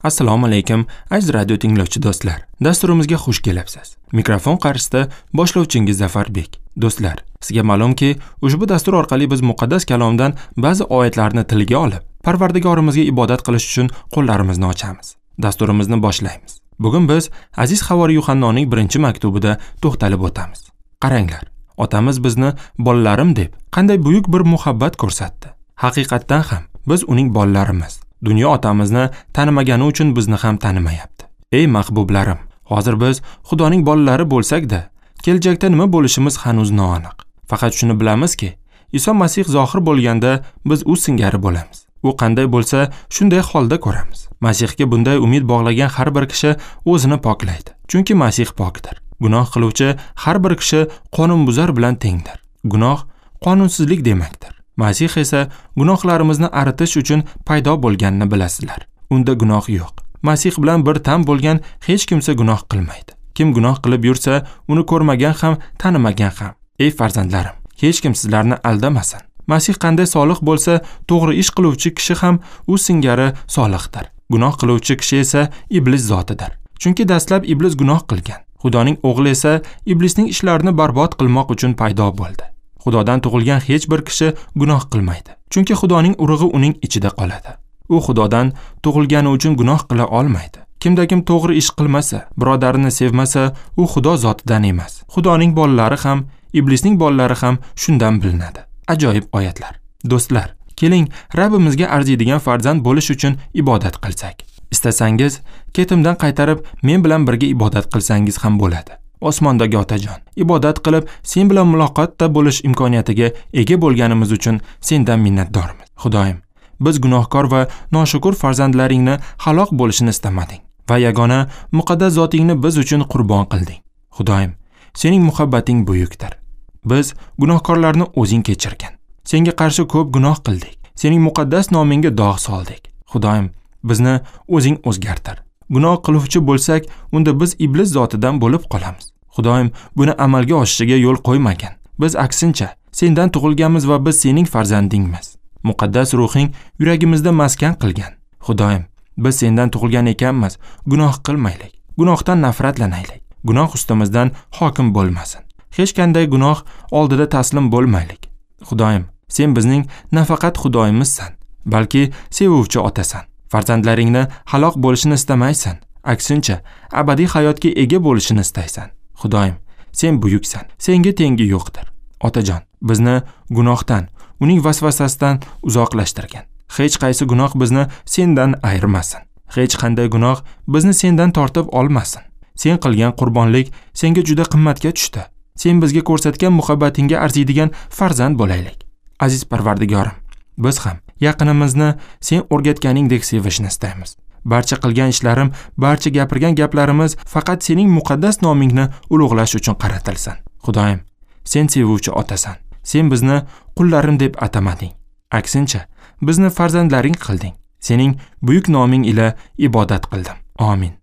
Assalomu alaykum, aziz radio tinglovchi do'stlar. Dasturimizga xush kelibsiz. Mikrofon qarshisida boshlovchingiz Zafarbek. Do'stlar, sizga ma'lumki, ushbu dastur orqali biz muqaddas kalomdan ba'zi oyatlarni tilga olib, Parvardigorimizga ibodat qilish uchun qo'llarimizni ochamiz. Dasturimizni boshlaymiz. Bugun biz aziz havoriy Yuhannoning birinchi maktubida to'xtalib o'tamiz. Qaranglar, otamiz bizni bolalarim deb qanday buyuk bir muhabbat ko'rsatdi. Haqiqatdan ham biz uning bolalarimiz. Dunyo otamizni tanimagani uchun bizni ham tanimayapti. Ey mahbublarim, hozir biz Xudoning bolalari bo'lsak-da, kelajakda nima bo'lishimiz hanuz noaniq. Faqat shuni bilamizki, Iso Masih zohir bo'lganda biz u singari bo'lamiz. U qanday bo'lsa, shunday holda ko'ramiz. Masihga bunday umid bog'lagan har bir kishi o'zini poklaydi. Chunki Masih pokdir. Gunoh qiluvchi har bir kishi qonunbuzar bilan tengdir. Gunoh qonunsizlik demakdir. Masih esa gunohlarimizni aritish uchun paydo bo'lganini bilasizlar. Unda gunoh yo'q. Masih bilan bir tan bo'lgan hech kimsa gunoh qilmaydi. Kim gunoh qilib yursa, uni ko'rmagan ham, tanimagan ham. Ey farzandlarim, hech kim sizlarni aldamasin. Masih qanday solih bo'lsa, to'g'ri ish qiluvchi kishi ham u singari solihdir. Gunoh qiluvchi kishi esa iblis zotidir. Chunki dastlab iblis gunoh qilgan. Xudoning o'g'li esa iblisning ishlarini barbod qilmoq uchun paydo bo'ldi. Xudodan tug'ilgan hech bir kishi gunoh qilmaydi. Chunki Xudoning urug'i uning ichida qoladi. U Xudodan tug'ilgani uchun gunoh qila olmaydi. Kimda-kim to'g'ri ish qilmasa, birodarini sevmasa, u Xudo zotidan emas. Xudoning bolalari ham, iblisning bolalari ham shundan bilinadi. Ajoyib oyatlar. Do'stlar, keling, Rabbimizga arziydigan farzand bo'lish uchun ibodat qilsak. Istasangiz, ketimdan qaytarib, men bilan birga ibodat qilsangiz ham bo'ladi. Osmondagi otajon, ibodat qilib, sen bilan muloqotda bo'lish imkoniyatiga ega bo'lganimiz uchun sendan minnatdormiz. Xudoyim, biz gunohkor va noshukur farzandlaringni halok bo'lishini istamading va yagona muqaddas zotingni biz uchun qurbon qilding. Xudoyim, sening muhabbating buyukdir. Biz gunohkorlarni o'zing kechirgin. Senga qarshi ko'p gunoh qildik. Sening muqaddas nomingga dog' soldik. Xudoyim, bizni o'zing o'zgartir. Gunoh qiluvchi bo'lsak, unda biz iblis zotidan bo'lib qolamiz. Xudoyim buni amalga oshishiga yo'l qo'ymagan. Biz aksincha sendan tug'ilganmiz va biz sening farzandingmiz. Muqaddas ruhing yuragimizda maskan qilgan. Xudoyim, biz sendan tug'ilgan ekanmiz, gunoh qilmaylik. Gunohdan nafratlanaylik. Gunoh ustimizdan hokim bo'lmasin. Hech qanday gunoh oldida taslim bo'lmaylik. Xudoyim, sen bizning nafaqat Xudoyimizsan, balki sevuvchi otasan. Farzandlaringni halok bo'lishini istamaysan, aksincha abadiy hayotga ega bo'lishini istaysan. Xudoyim, sen buyuksan, senga tengi yo'qdir. Otajon, bizni gunohdan, uning vasvasasidan uzoqlashtirgin. Hech qaysi gunoh bizni sendan ayirmasin. Hech qanday gunoh bizni sendan tortib olmasin. Sen qilgan qurbonlik senga juda qimmatga tushdi. Sen bizga ko'rsatgan muhabbatingga arziydigan farzand bo'laylik. Aziz Parvardigorim, biz ham yaqinimizni sen o'rgatganingdek sevishni istaymiz. Barcha qilgan ishlarim, barcha gapirgan gaplarimiz faqat sening muqaddas nomingni ulug'lash uchun qaratilsin. Xudoyim, sen sevuvchi otasan. Sen bizni qullarim deb atamading. Aksincha, bizni farzandlaring qilding. Sening buyuk noming ila ibodat qildim. Amin.